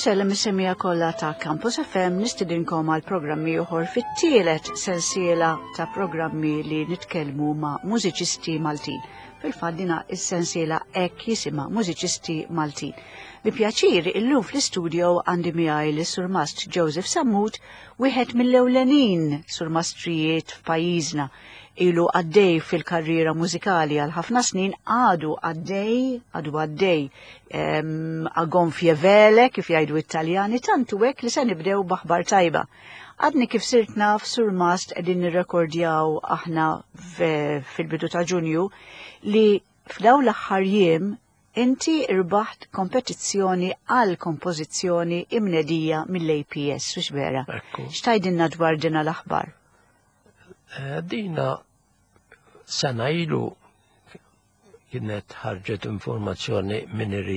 Insellem is-semija kollha ta' Campus FM nistidinkom għal programmi oħor fit-tielet sensiela ta' programmi li nitkellmu ma' mużiċisti Maltin. Fil-fatt dina is-sensiela hekk jisimha Mużiċisti Maltin. Bi pjaċir illum fl-istudio għandi miegħi lis Surmast Joseph Sammut, wieħed mill-ewlenin surmastrijiet f'pajjiżna ilu għaddej fil-karriera mużikali għal ħafna snin għadu għaddej, għadu għaddej a gonfie vele kif jgħidu Italjani tantu hekk li se nibdew b'aħbar tajba. Għadni kif sirt naf sur mast qegħdin nirrekordjaw aħna fil-bidu ta' Ġunju li f'daw l-aħħar jiem inti irbaħt kompetizzjoni għal kompożizzjoni imnedija mill-APS, u vera. X'tajdilna dwar dina l-aħbar? Eh, dina sena ilu kienet ħarġet informazzjoni minn li,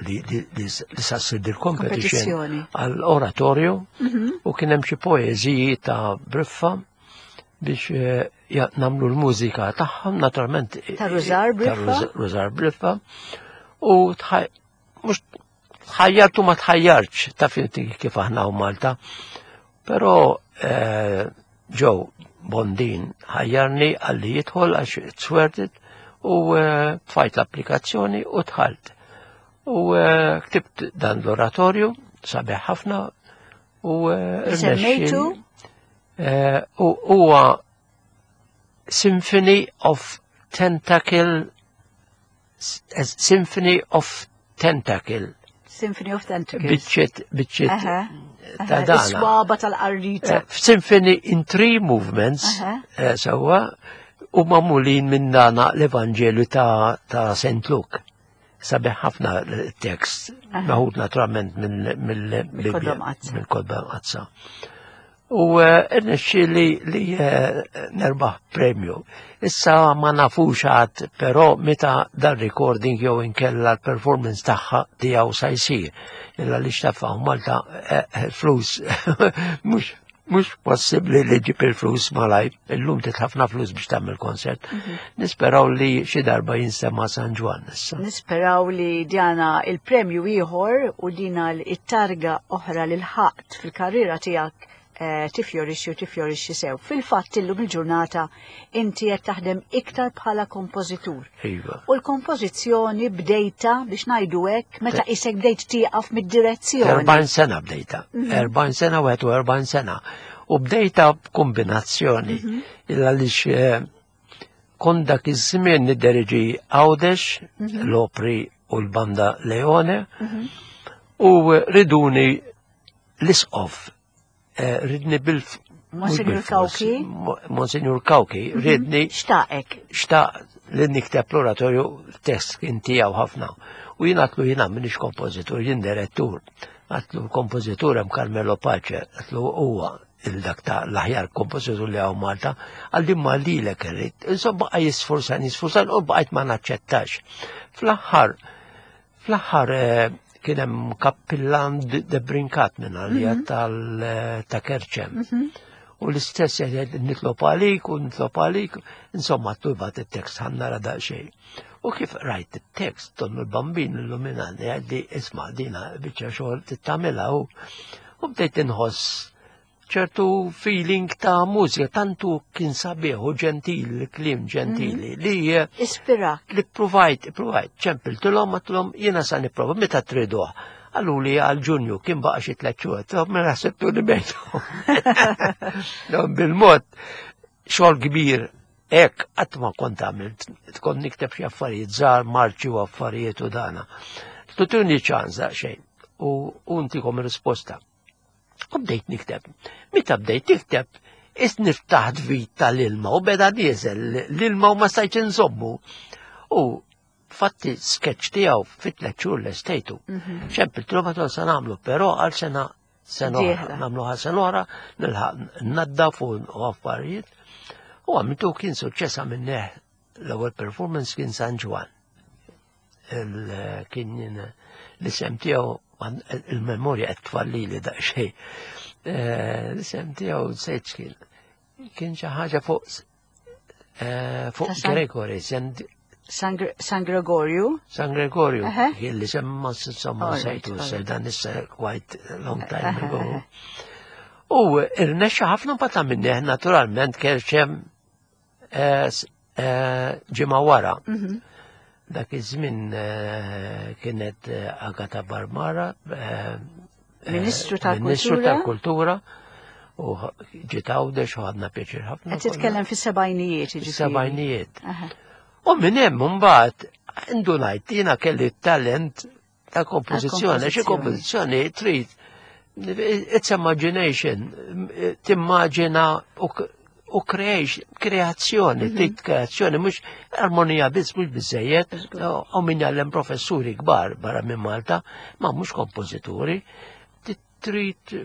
li, sassir dil-competition għal-oratorju mhm. u kien hemm xi poeżiji ta' Briffa biex eh, namlu l-mużika tagħhom naturalment ta' Rużar Briffa. Rużar Briffa u mhux tħajjart u ma tħajjartx ta' finti kif aħna u Malta. Però eh, ġew Bondin ħajjarni għalli jidħol għax it's worth it u eh, tfajt l-applikazzjoni u dħalt. U eh, ktibt dan l-oratorju, sabiħ ħafna u Semmejtu? U huwa Symphony of Tentacle Symphony of Tentacle. Symphony of Tentacles. Biċċiet, biċċiet ta' dana. Swaba tal-qarrita. Eh, Symphony in three movements, eh, sewwa, u mamulin minn dana l-Evanġelju ta', ta St. Luke. Sabiħ ħafna tekst, meħud naturalment mill-Bibbja, mill-Kodba Mqaddsa. U eh, irnexxieli li eh, nerbaħ premju. Issa ma nafux għad, però meta dan recording jew inkella l-performance tagħha tiegħu sa jsir. Illa li xtafaw Malta eh, flus mhux mhux possibbli li ġib il-flus malaj, illum tit ħafna flus biex tagħmel konsert. Mhm. Nisperaw li xi darba jinsema San Ġwann issa. Nisperaw li djana il-premju ieħor u dina l-targa oħra lil ħaqt fil-karriera tiegħek eh, tifjorixxi u tifjorixxi sew. Fil-fatt illum il-ġurnata inti qed taħdem iktar bħala kompożitur. Iva. U l-kompożizzjoni bdejta biex ngħidu hekk meta isek bdejt tieqaf mid-direzzjoni. 40 sena bdejta. 40 mhm. sena u 41 sena. U bdejta b'kombinazzjoni. Mhm. Illa lix eh, kont dak iż-żmien nidderieġi Għawdex, mhm. l-opri u l-banda Leone, mhm. u riduni l-isqof, eh, ridni bil Monsignor Kawki. Monsignor Kawki, mhm. ridni. Xtaqek. Xtaq li nikteb l-oratorju test kien tiegħu ħafna. U jien għatlu jiena minix kompożitur, jien direttur. Għatlu kompożitur hemm Carmelo Pace, għatlu huwa il-dak ta' l-aħjar kompożitur li hawn Malta, għal ma lilek irrid. Insomma baqa' jisforsan, jisforsan u baqajt ma naċċettax. Fl-aħħar, fl-aħħar eh, kien hemm kappillan de Brinkat minn għalija mhm. tal eh, ta' Kerċem. Mhm. U l-istess jgħid nitlob għalik u nitlob għalik, insomma tubat it-tekst ħanna nara daqsxejn. U kif rajt it-tekst donnu l-bambin illuminani għaddi isma' dina biċċa xogħol tittamilha u u bdejt inħoss ċertu feeling ta' mużika tantu kien sabiħ u ġentil, kliem ġentili mhm. li eh, ispirak. Li provajt, provajt, ċempiltilhom għattilhom jiena sa nipprova meta triduh. Għallu li għal ġunju kien baqa xi tliet xhur, mela ħsibtu li bejtu. Bil-mod xogħol kbir Hekk qatt ma kont għamilt, kont nikteb xi affarijiet żgħar, marċi u affarijiet u dana. Tutuni ċans daqsxejn u untikom risposta. U bdejt nikteb. Meta bdejt nikteb, is niftaħt vit tal-ilma u beda nieżel l-ilma u ma stajtx inżommu. U fatti sketch tiegħu fit tliet xhur l-estejtu. Mhm. Ċempil ma sa nagħmlu, però għal sena sena oħra, nagħmlu għal sena oħra, nilħaq naddaf u affarijiet. U għamiltu kien suċċess għamilnieh l-ewwel performance kien San Ġwan. Kien l-isem tiegħu il-memorja qed tfalli li daqsxejn. Eh, l-isem tiegħu sejt kien kien xi ħaġa fuq eh, fuq Gregory, San Gregorio. San Gregorio, li semma insomma sejtu dan issa quite long time ago. U irnexxa ħafna mbagħad minni naturalment kerċem eh, eh, ġimgħa wara. Mhm. Dak iż-żmien eh, kienet Agata Barmara, Ministru tal-Kultura. Ministru tal-Kultura u ġiet Għawdex u ħadna pjaċir ħafna. Qed titkellem fis-sebgħinijiet, jiġifieri. Sebgħinijiet. U minn hemm imbagħad indunajt jiena kelli talent ta' kompożizzjoni, xi kompożizzjoni trid it's imagination, timmaġina u creation, kreazzjoni, mhm. trid kreazzjoni, mhux armonija biss mhux biżejjed, u min jgħallem professuri kbar barra minn Malta, ma mhux kompożituri, trid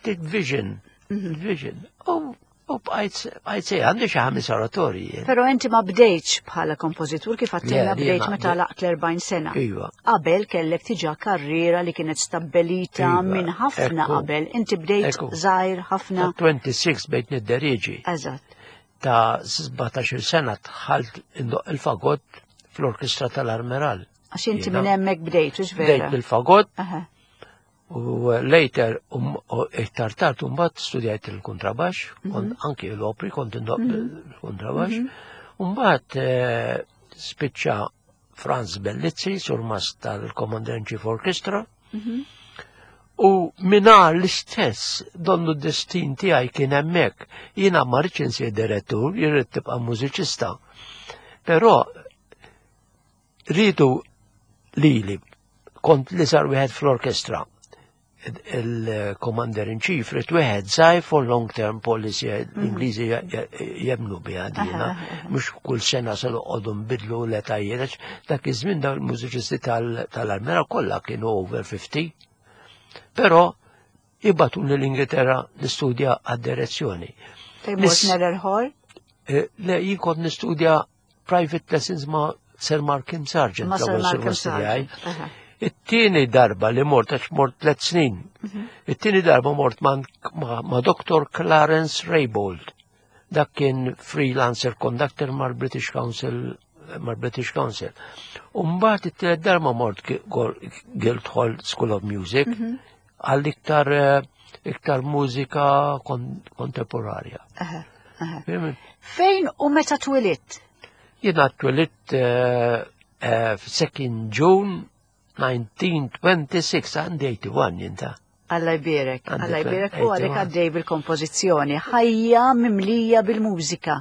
trid vision, mhm. vision. U U bqajt bqajt għandi xi ħames oratorji. Però inti ma bdejtx bħala kompożitur kif għattilna bdejt meta laqt l-40 sena. Iva. Qabel kellek tiġa karriera li kienet stabbelita iva, minn ħafna qabel. Inti bdejt żgħir ħafna. 26 bejt nidderieġi. Eżatt. Ta' 17 sena dħalt indoq il-fagott fl-orkestra tal-Armeral. Għax inti minn hemmhekk bdejt, vera? Bdejt bil-fagott. U later, um, iktar tard, mbagħad studjajt il-kontrabax, mm -hmm. anki l-opri kont indoq mm -hmm. il-kontrabax. Mm -hmm. Mbagħad eh, spiċċa Franz Bellizzi, surmast tal-Commander in Chief Orchestra. Mm -hmm. U minna l-istess donnu destin tiegħi kien hemmhekk. Jiena ma rridx insir direttur, jien rrid tibqa' mużiċista. Però Riedu lili, kont l-iżgħar wieħed fl-orkestra. Il-Commander in Chief ried wieħed żgħir for long term policy, mhm. l-Ingliżi jemnu biha dina, mhux kull sena se noqogħdu nbidlu l-etajiet, dak iż-żmien dawn il-mużiċisti tal-Armera kollha kienu over 50. Però jibgħatuni l-Ingilterra nistudja għad-direzzjoni. Fejn mort Neller Hall? Eh, le, jien kont nistudja private lessons ma' Sir Markham Sargent. Ma' Sir Markham Sargent. It-tieni darba li mort, għax mort tlet snin, mhm. it-tieni darba mort ma', ma Dr. Clarence Raybould. Dak kien freelancer conductor mal-British Council mal-British Council. Umbat it-tielet darba mort Guildhall School of Music mhm. għal iktar eh, iktar mużika kontemporarja. Fejn u meta twilidt? Jiena twilidt eh, eh, f-2 June 1926, għandi 81 jinta. Alla jbierek, Alla jbierek u għalek għaddej bil-kompożizzjoni, ħajja mimlija bil-mużika.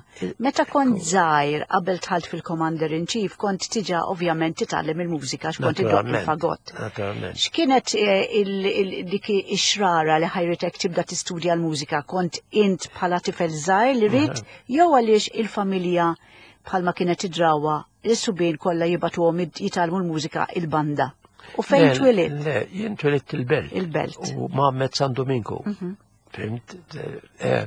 Meta kont żgħir qabel dħalt fil-Commander in Chief kont tiġa ovvjament titgħallem il-mużika għax kont iddoqq il-fagott. X'kienet eh, dik ix-xrara li ħajritek tibda tistudja l-mużika? Kont int bħala tifel żgħir li ridt jew għaliex il-familja bħalma kienet id-drawwa l-subien kollha jibgħatuhom jitgħallmu l-mużika il-banda? U fejn twilidt? Le, jien twilidt il-belt. Il-belt. U ma' San Domingo. Mhm. Fimt? Eh,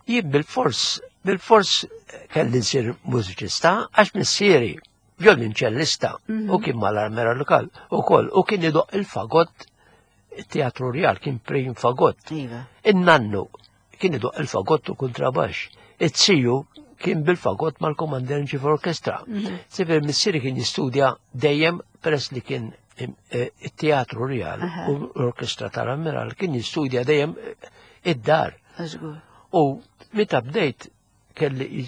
jien bil-fors, bil-fors kelli nsir mużiċista għax missieri violinċellista mhm. u kien mal-armera lokal u koll u kien idoq il-fagott teatru real kien prim fagott. Iva. In-nannu kien idoq il-fagott u kontrabax. It-siju kien bil-fagott mal-Commander in Chief Orchestra. Mhm. Sifir missieri kien jistudja dejjem peress li kien eh, it-teatru real u l-orkestra tal-Ammiral kien jistudja dejjem eh, id-dar. U meta bdejt kelli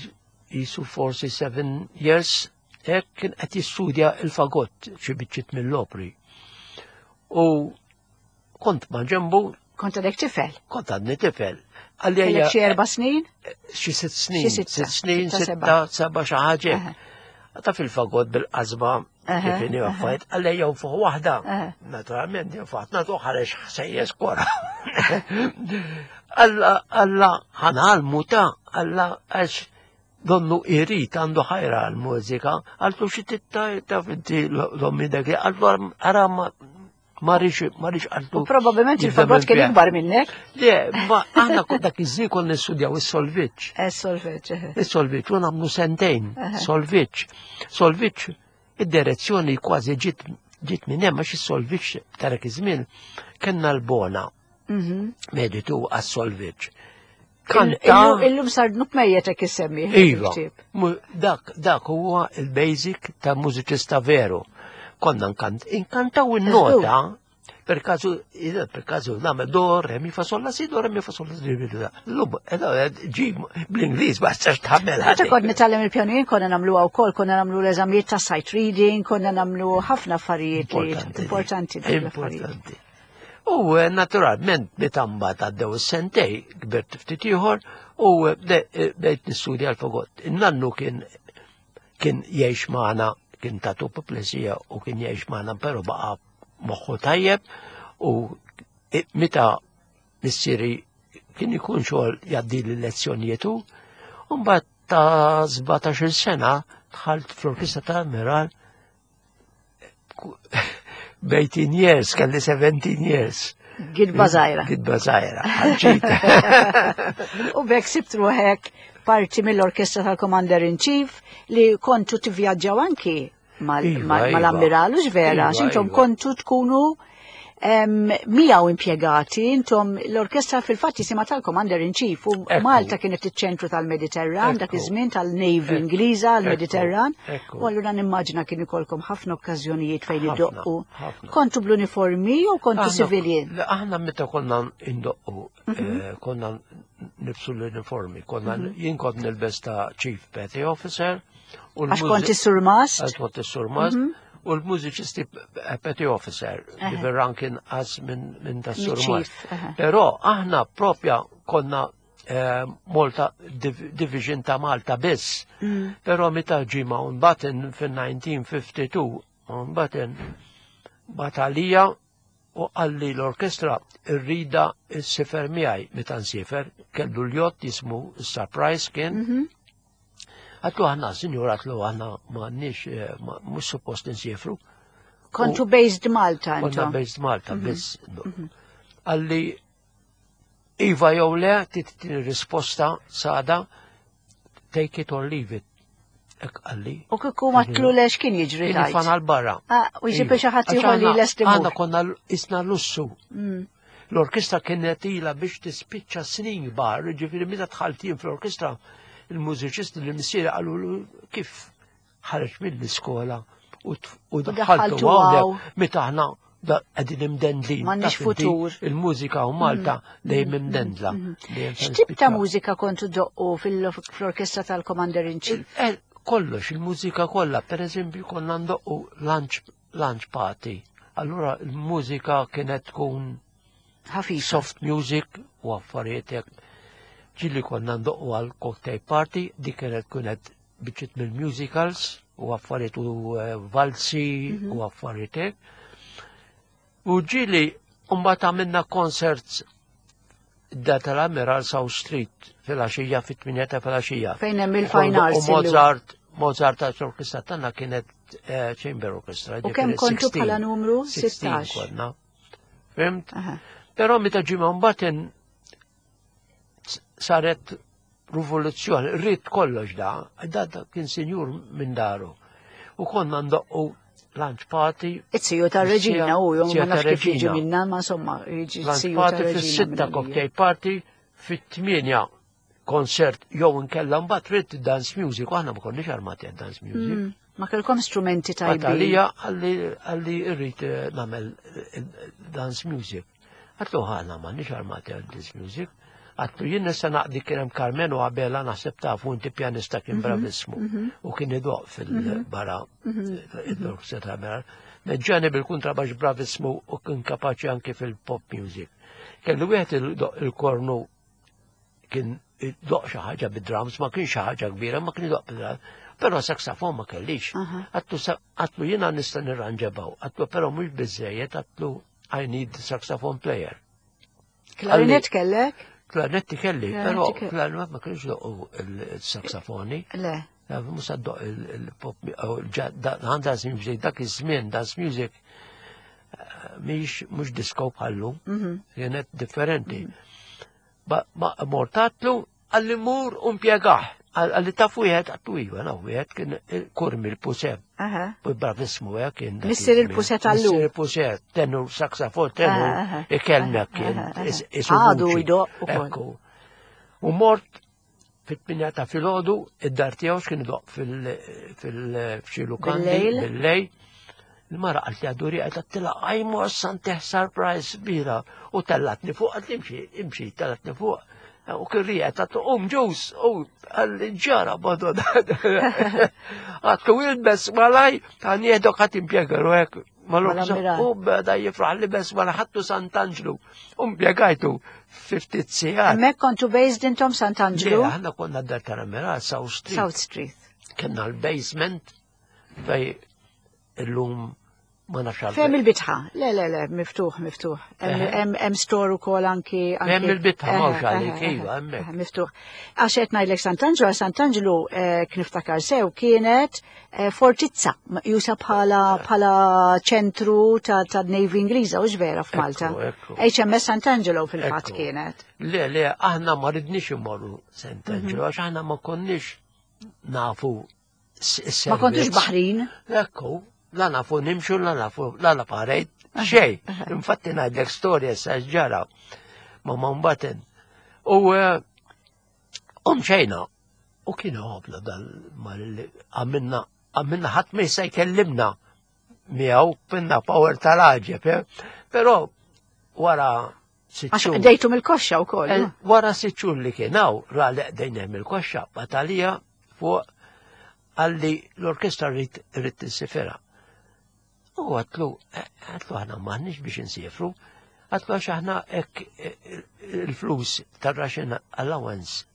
jisu forsi seven years hekk kien qed jistudja il-fagott xi biċċiet mill-opri. U kont ma' ġembu. Kont għadek tifel? Kont għadni tifel. Għalli xi erba' snin? Xi sitt snin. Xi sitt snin, sitta, seba' xi ħaġa. Ta' fil-fagott bil-qasba kif inhi affarijiet, għalli jew fuq waħda. Naturalment jew fuq nagħtu ħareġ ħsejjes kora. Alla alla ħanalmu ta' alla għax donnu irid għandu ħajra għal-mużika, għaltu xi titta ta' finti l-ommi dak għaltu ara ma rix ma rix għaltu. Probabilment il-fagott kien ikbar minnek. Le, ma aħna kont dak iż-żmien konna nistudjaw is-solviċ. Eh, is-solviċ. Eh. Is-solviċ, u nagħmlu sentejn, solviċ. Solviċ, id-direzzjoni kważi ġiet ġiet minn hemm għax is-solviċ ta' dak iż-żmien kellna l-bona. Mhm. Meditu għas-solviċ. Kanta. Illum sar dnub mejjet hekk issemmi. Iva. Dak, dak huwa il-basic ta' mużiċista veru. Konna nkant, inkantaw in-nota, per kazu, per kazu nagħmel do, re, mi, fa, sol, la, si, do, re, mi, fa, sol, la, si, do, L-lum, ġi bl-Ingliż ma tistax tagħmel. Meta kont nitgħallem il-pjanin konna nagħmluha wkoll, konna nagħmlu l-eżamijiet ta' sight reading, konna nagħmlu ħafna affarijiet importanti. Importanti. U eh, naturalment meta mbagħad għaddew is-sentej kbirt ftit ieħor u eh, eh, bdejt nistudja l-fagot. In-nannu kien kien jgħix magħna kien tatu puplesija u kien jgħix magħna però baqa' moħħu tajjeb u meta missieri kien ikun xogħol jgħaddi l-lezzjonijiet u mbagħad ta' 17-il sena dħalt fl-orkestra ta' Amiral 18 years, kelli 17 years. Gidba zaħira. Gidba zaħira, U bekk sibt ruħek parti mill-orkestra tal-Commander in Chief li kontu tivvjaġġaw anki iva, mal-ammiralu iva. vera, iva, xintom kontu tkunu miegħu impjegati, intom l-orkestra fil-fatt jisimha tal-Commander in Chief u Malta kienet iċ-ċentru tal-Mediterran dak iż-żmien tal-Navy Ingliża l-Mediterran. U allura nimmaġina kien ikolkom ħafna okkażjonijiet fejn iddoqqu. Kontu bl-uniformi jew kontu civilian? Aħna meta konna indoqqu, mhm. eh, konna nibsu l-uniformi, konna mhm. jien kont nilbes ta' Chief Petty Officer. Għax kont is-surmast? Għax kont is-surmast. Mhm. U l-mużiċisti petty officer, li verran kien għaz minn ta' surmast. Però aħna propja konna eh, Malta Division ta' Malta biss. Mm. Però meta ġi Mountbatten fin-1952, Mountbatten batalija u qalli l-orkestra rrida s-sifer miegħi meta nsifer, kellu l-jott jismu Surprise kien. Mhm. Għatlu aħna, sinjur, għatlu aħna ma nix, eh, mux suppost nsifru. Kontu based Malta, Konna based Malta, mhm. biss. Mhm. Għalli, Iva jew le, titini risposta sada, take it or leave it. Ek għalli. U kieku ma tlulex kien jiġri tajt. Fan għal-barra. Ah, u jġib xi ħadd ieħor li lest imur. Għandna konna isna lussu. Mm. L-orkestra kienet ila biex tispiċċa snin kbar, ġifieri meta dħaltin fl-orkestra il-mużiċisti li missieri qalu kif ħareġ mill-iskola u daħaltu hawnhekk meta aħna qegħdin imdendlin. M'għandniex futur. Il-mużika u Malta mm. dejjem mm. imdendla. Mm. X'tip ta' mużika kontu doqqu fl-orkestra tal-Commander in Chief? Eh, kollox, il-mużika kollha, per eżempju konna ndoqqu lunch, lunch party. Allura il-mużika kienet tkun ħafifa. Soft music u affarijiet hekk. Ġilli konna ndoqqu għal cocktail party, dik kienet kienet biċċiet mill-musicals u affarijiet u eh, valzi mhm. u affarijiet hekk. U ġili mbagħad għamilna concerts da tal-Amiral South Street fil-għaxija fit-8 ta' fil-għaxija. Fejn hemm il-Fine Arts. U Mozart, Mozart ta' orkestra tagħna kienet eh, chamber orchestra. U kemm kontu bħala numru? 16. Konna. Fimt? Però meta ġimgħa mbagħad saret rivoluzzjoni, rrid kollox da, da, da kien sinjur minn daru. U konna ndoqqu lunch party. It-siju ta' reġina u jom ma nafx kif jiġi minna, ma insomma, jiġi siju ta' reġina. Fis-sitta cocktail party, fit-tmienja konsert jew inkella mbagħad trid dance music, u aħna ma konniex armati għad dance music. Mm, ma kellkom strumenti tajbin. Għalija għalli rrid eh, nagħmel eh, dance music. Għatlu ħana ma nix armati għal this music. Għatlu jien nista naqdi kien hemm Carmelo Abela naħseb tafu inti pjanista kien mhm, bravissmu mhm. u kien idoq fil-bara id-orkestra ta' Mera. Meġġani bil-kuntrabax bravissmu u kien kapaċi anki fil-pop music. Kellu wieħed il-kornu kien doq xi ħaġa bid-drums, ma kienx xi ħaġa kbira, ma kien doq bid-drums. Però saksafon ma kellix. Għatlu jiena nista' nirranġabaw, għatlu però mhux biżejjed, għatlu I need saxophone player. Klarinet kellek? Klarinetti kelli, però klarinet ma kienx doqqu il-saxofoni. Le. Musa doq il-pop, dance music, dak iż-żmien dance music eh, mhix mhux disco bħallu, mhm. kienet differenti. Mhm. Ma mortatlu Għalli mur u mpjegah. Għalli taf wieħed, għattu iva, naf wieħed kien kurmi l-puse. U bravismu eh, kien. Missir il-puse tal-lu. Missir il-puse, tenur, saksafon, tenur, ikellmek kien. Għadu jdoq. Ekku. U mort fit-8 ta' filgħodu id-dar tiegħu x'kien idoq fil-xi lukandi bil-lejl. Il-mara qalt li għaddu riqa tila għajmu santeh surprise kbira u tellatni fuq għad imxi, imxi, tellatni fuq. U kien rieqed għatlu um ġus, u għalli ġara madonna. Għatlu ilbes malaj, ta' nieħdok għat impjegaru hekk. U beda jifraħ li bes wara ħattu Sant'Anġlu. U impjegajtu 50 sigħat. Hemmhekk kontu based intom Sant'Anġlu? Aħna konna dar tal-Amiral South Street. South Street. Kenna l-basement fej illum ma nafx għal. Fem il-bitħa. Le, le, le, miftuħ, miftuħ. Hemm store ukoll anki. Hemm il-bitħa m'hawnx għalik, iva, hemmhekk. Miftuħ. Għax qed ngħidlek Sant'Anġlu, għax Sant'Anġlu eh, kniftakar sew kienet eh, fortizza jusa bħala bħala ċentru ta' Navy Ingliża u vera f'Malta. HMS Sant'Angelo fil-fatt kienet. Le, le, aħna ma ridniex immorru Sant'Angelo mhm. għax aħna ma konniex nafu Ma kontux baħrin? Ekku, la nafu nimxu, la nafu, la la parejt, xej. Infatti ngħidlek storja sa ġara ma Mountbatten. U eh, mxejna, u kien ħobna dal mal għamilna għamilna ħadd ma jista' jkellimna miegħu pinna power tal-għaġeb, eh? però wara sitt Għax qdejtu mill-koxxa wkoll. Eh, wara sitt xhur li kien hawn ra li qdejna mill-koxxa batalija fuq għalli l-orkestra rrid rrid tinsifera. U għatlu, eh, għatlu aħna m'aħniex biex insifru, għatlu għax aħna hekk eh, il-flus tar-ration allowance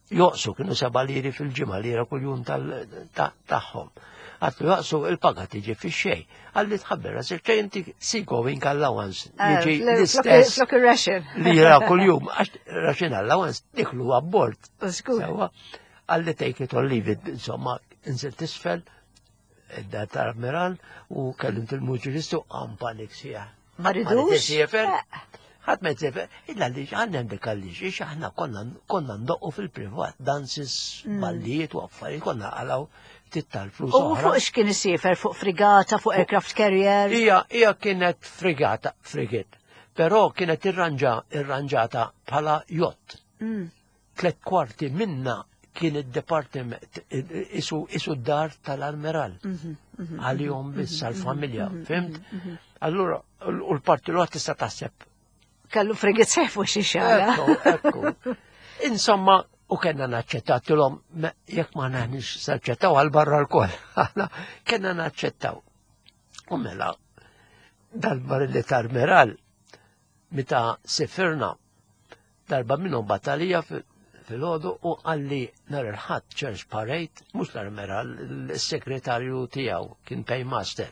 joqsu kienu seba' liri fil-ġimgħa lira kuljum tagħhom. Għatlu joqsu il-paga tiġi fix-xejn. Għalli tħabber rasek ċej inti sea going allowance. Eh, Jiġi l-istess. Flok ir-ration. Lira kuljum, għax ration allowance diklu abbord. Sewwa. Għalli take it or leave it, insomma, inżilt isfel, id-dar tal-ammiral u kellimt il-muġilistu għam panik sieħ. Ma ridux? Ħadd ma jsefer, illa li għandna dik għaliex, ix aħna konna konna ndoqqu fil-privat, dances, mm. ballijiet u affarijiet, konna għalaw ftit tal-flus. U fuq x'kien isiefer fuq frigata, fuq aircraft carrier? Ija, ija kienet frigata, frigate, però kienet irranġa, irranġata bħala jott. Mm. Tlet kwarti minna kien id-departiment isu isu d-dar tal-almeral. Mhm, mhm, Għalihom mhm, biss għall-familja, fimt? Allura, u l-parti l tista' taħseb. Kellu frigit sef u xi xara. Ekku, Insomma, u kellna naċċettatilhom jekk ma naħniex saċċettaw għal barra l-koll. Kellna naċċettaw. U mela, dal-barilli tal-meral, meta sifirna Darba minnhom battalija filgħodu u qalli nhar il-Ħadd Church Parade, mhux l-Armeral, is-segretarju tiegħu kien paymaster.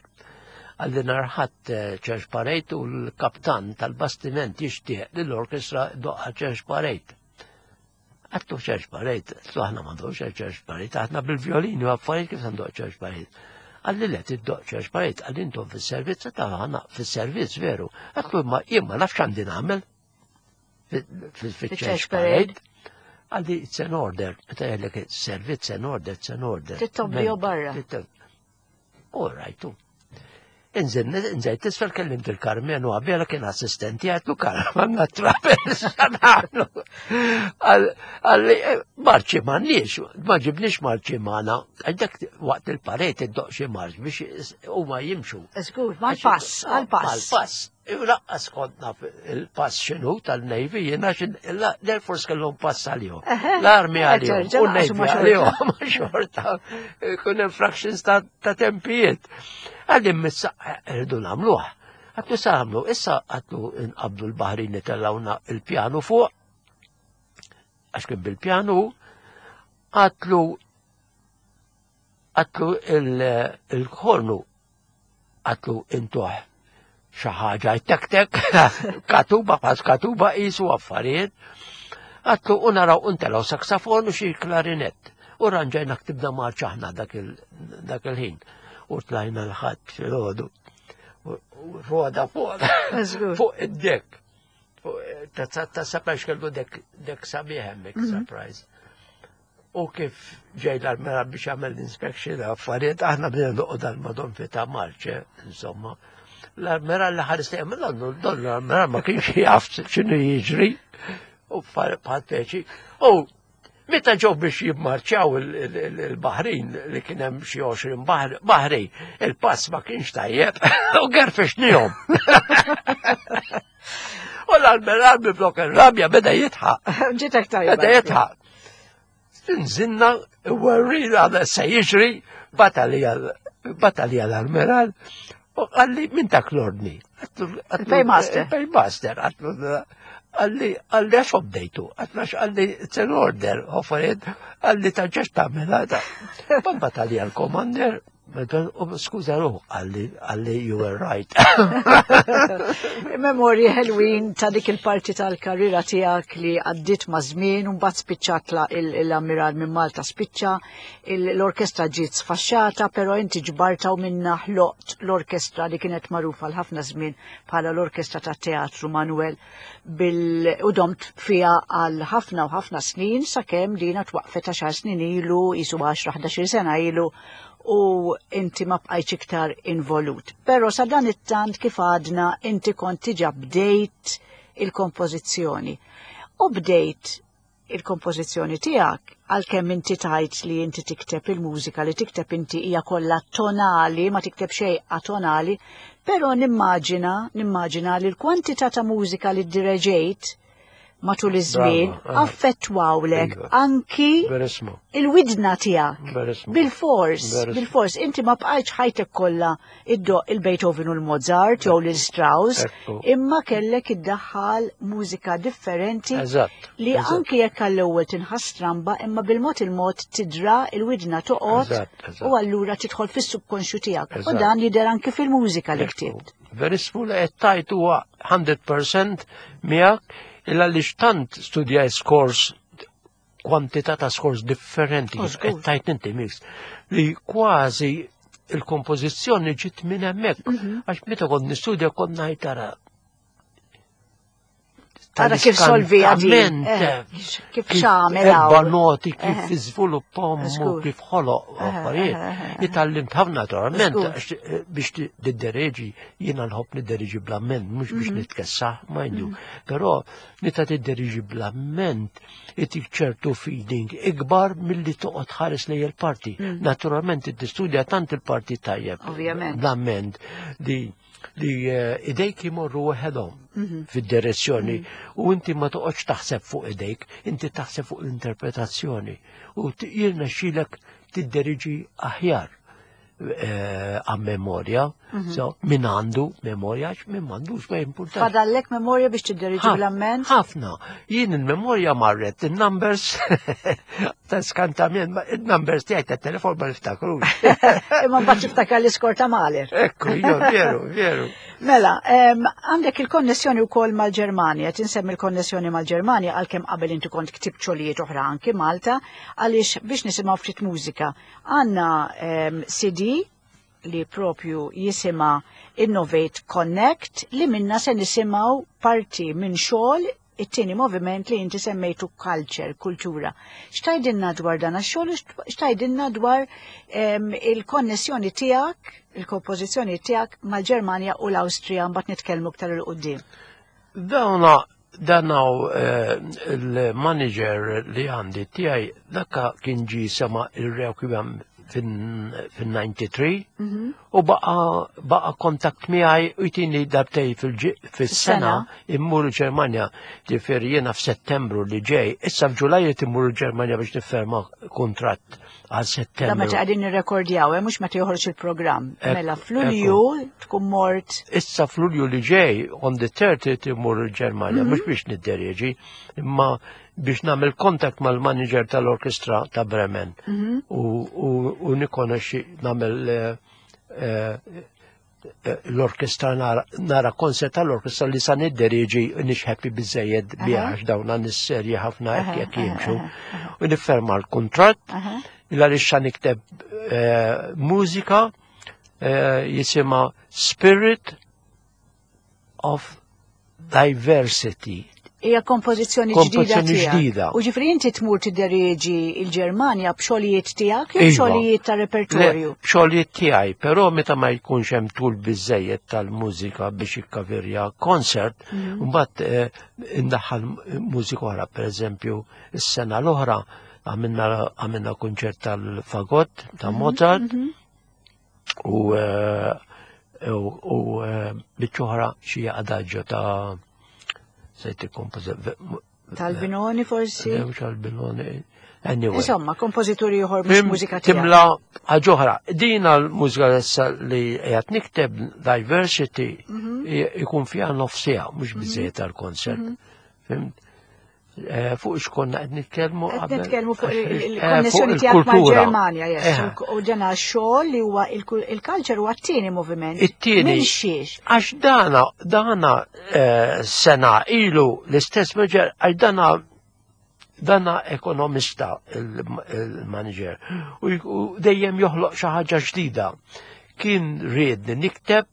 Qalli nhar il-Ħadd eh, Church Parade u l-kaptan tal-bastiment jixtieq li l-orkestra doqqa Church Parade. Għattu Church Parade, għattu aħna ma ndoqx Church Parade, aħna bil-violini u affarijiet kif ndoq Church Parade. Għalli le tiddoq Church Parade, għalli intom fis-servizz, ta' aħna fis-servizz veru. Għattu ma jien ma nafx għandi nagħmel fil-Church Parade. Għalli it's an order, meta jgħidlek servizz an order, it's an order. Tittobbi barra. All right, Inżel, inżel, tisfel kellimt il-Karmenu għabela kien assistenti għatlu Karmen għanna trapez għanna. Għalli, eh, marċi m'għandniex, ma ġibniex marċi magħna, għandek waqt il-parejt id-doq xi marċ biex huma jimxu. Żgur, mal-pass, għal-pass. Mal-pass. Laqqas kont naf il-pass x'inhu tal-Navy, jiena l-Air Force kellhom pass għalihom. L-Army għalihom, u l-Navy għalihom, xorta, kun hemm fractions ta' tempijiet. Għalli missa rridu nagħmluh. Għatlu sa għamlu, issa għatlu nqabdu l-Baħrin tellawna il-pjanu fuq, għax kien bil-pjanu, għatlu għatlu il-ħornu Għatlu intuħ xi ħaġa tek-tek, katuba pas katuba qisu affarijiet. Għatlu u naraw untelaw saksafon u xi klarinett. U ranġajna ktibna marċ aħna dak il-ħin. U tlajna l-ħadd filgħodu. Roda fuq fuq id-dek. Ta' sapax kellu dek sabiħ hemmhekk mhm. surprise. U kif ġej l-armera biex jagħmel l-inspection affarijiet, aħna bdejna noqgħod għal madon fi ta' marċe, insomma. L-armera li ħares li għamil don l-armera ma kienx jaf x'inhu jiġri. U bħal peċi. U meta ġew biex jimmarċjaw il-Baħrin li kien hemm xi 20 baħri, il-pass ma kienx tajjeb u gerfixnihom. U l-almeral bi blok rabja beda jitħaq. Ġitek tajba. Beda jitħaq. Nżinna, werrina għada se jiġri, batalija l-almeral, u għalli minn dak l-ordni. Il-paymaster. Il-paymaster, għalli għalli għax obdejtu, għax għalli it's an order, offeret, għalli taġġax tagħmel għada. Batalija l-commander, Skuża ruħ, għalli you were right. Memorji ħelwin ta' dik il-parti tal-karriera tiegħek li għaddit ma' żmien u mbagħad spiċċat l-ammiral minn Malta spiċċa, l-orkestra ġiet sfaxxata, però inti ġbarta u minna ħloqt l-orkestra li kienet magħrufa l ħafna żmien bħala l-Orkestra tat-Teatru Manuel bil u domt fiha għal ħafna u ħafna snin sakemm dina twaqfet għaxar snin ilu, jisu 10-11 sena ilu u inti ma bqajtx iktar involut. Però sa dan it-tant kif għadna inti kont diġà bdejt il-kompożizzjoni. U bdejt il-kompożizzjoni tiegħek għalkemm inti tajt li inti tikteb il-mużika li tikteb inti hija kollha tonali, ma tikteb xejn atonali, però nimmaġina li l-kwantità ta' mużika li ddireġejt matul iż-żmien affettwawlek anki il-widna tiegħek. Bil-fors, bil-fors, inti ma bqajtx ħajtek kollha iddoq il-Beethoven u l-Mozart jew l-Strauss, imma kellek iddaħħal mużika differenti li anki jekk għall-ewwel tinħass stramba imma bil-mod il-mod tidra il-widna toqgħod u allura tidħol fis-subkonxju tiegħek. U dan jidher anki fil-mużika li ktibt. Verissmu li qed tajt huwa 100% miegħek illa li xtant studjaj scores kwantità ta' scores differenti qed tajt inti mix li kważi il-kompożizzjoni ġiet minn hemmhekk għax meta kont nistudja kont ngħid tara Tara kif solvi għadin. Kif xamel. Erba noti kif iżviluppahom u kif ħoloq affarijiet. Itgħallimt ħafna naturalment biex tiddereġi, jiena nħobb niddereġi bl-amment, mhux biex nitkessaħ, mind you. Però meta tiddereġi bl-amment, itik ċertu feeling ikbar milli toqgħod ħares lejn il-parti. Naturalment tistudja tant il-parti tajjeb. Ovvjament. Bl-amment li idejk imorru waħedhom fid-direzzjoni u inti ma toqgħodx taħseb fuq idejk, inti taħseb fuq l-interpretazzjoni u jirnexxilek tidderiġi aħjar għam memorja, so min għandu memorja, min m'għandux ma jimpurtax. Fadallek memorja biex tidderiġi bl-amment? Ħafna. Jien il-memorja marret, il-numbers ta' skantament, il-numbers tiegħi ta' telefon ma niftakrux. Imma mbagħad tiftakar l-iskor ta' Mahler. Ekku, jo, veru, veru. Mela, għandek il-konnessjoni wkoll mal-Ġermanja, tinsemmi l-konnessjoni mal-Ġermanja għalkemm qabel inti kont ktibt xogħlijiet oħra anki Malta, għaliex biex nisimgħu ftit mużika. Għandna CD li propju jisima Innovate Connect li minna se nisimgħu parti minn xogħol it-tieni moviment li inti semmejtu culture, kultura. X'tgħidilna dwar dan għax-xogħol, x'tgħidilna dwar il-konnessjoni tiegħek, il-kompożizzjoni tiegħek mal-Ġermanja u l-Awstrija mbagħad nitkellmu iktar 'il quddiem. Dawna danaw il-manager li għandi tiegħi dakka kien ġi sema il-Requiem fin-93 u baqa kontakt miegħi u jtini darbtej fis-sena immur il-Ġermanja, ġifieri jiena f'Settembru li ġej, issa f'Ġulaj qed immur il-Ġermanja biex nifferma kuntratt għal Settembru. Da meta qegħdin nirrekordjaw, mhux meta joħroġ il-programm. Mela f'Lulju tkun mort. Issa f'Lulju li ġej, on the 30 immur il-Ġermanja, mhux biex nidderieġi, imma biex nagħmel kontakt mal-manager tal-orkestra ta' Bremen u nikonoxxi nagħmel l-orkestra nara konsert tal-orkestra li sa nidderieġi nix happy biżejjed biha għax dawn għan serji ħafna hekk jekk jimxu. U nifferma l-kuntratt illa li xa nikteb mużika jisimha Spirit of Diversity. Hija kompożizzjoni ġdida. Kompożizzjoni ġdida. U ġifri inti tmur tidderieġi il-Ġermanja b'xogħlijiet tiegħek jew Iva. b'xogħlijiet ta' repertorju. Le, B'xogħlijiet tiegħi, però meta ma jkunx hemm tul biżejjed tal-mużika biex ikkaverja konsert, mbagħad eh, indaħħal mużika oħra, pereżempju, is-sena l-oħra għamilna għamilna kunċert tal-fagott ta' Mozart u eh, u u, eh, biċċa oħra xi adaġġo ta' sejt il-kompożi- Tal-Binoni forsi? Mhux Albinoni. Anyway. Insomma, kompożituri ieħor mhux Fim, mużika tiegħek. Timla ħaġoħra. Dina l-mużika issa li qed nikteb diversity ikun fiha nofsija, mhux biżejjed tal-konsert. Fimt? Eh, Fuq x'konna qed nitkellmu Qed qabel? nitkellmu fuq Eh, fuq il-konnessjoni tiegħek il-kultura. mal-Ġermanja, yes. Eh, U dana xogħol li huwa il-culture huwa t-tieni moviment. It-tieni. Minn xiex? Għax dana, dana eh, sena ilu l-istess manager, għax dana dana ekonomista il-manager u u dejjem joħloq xi ħaġa ġdida. Kien riedni nikteb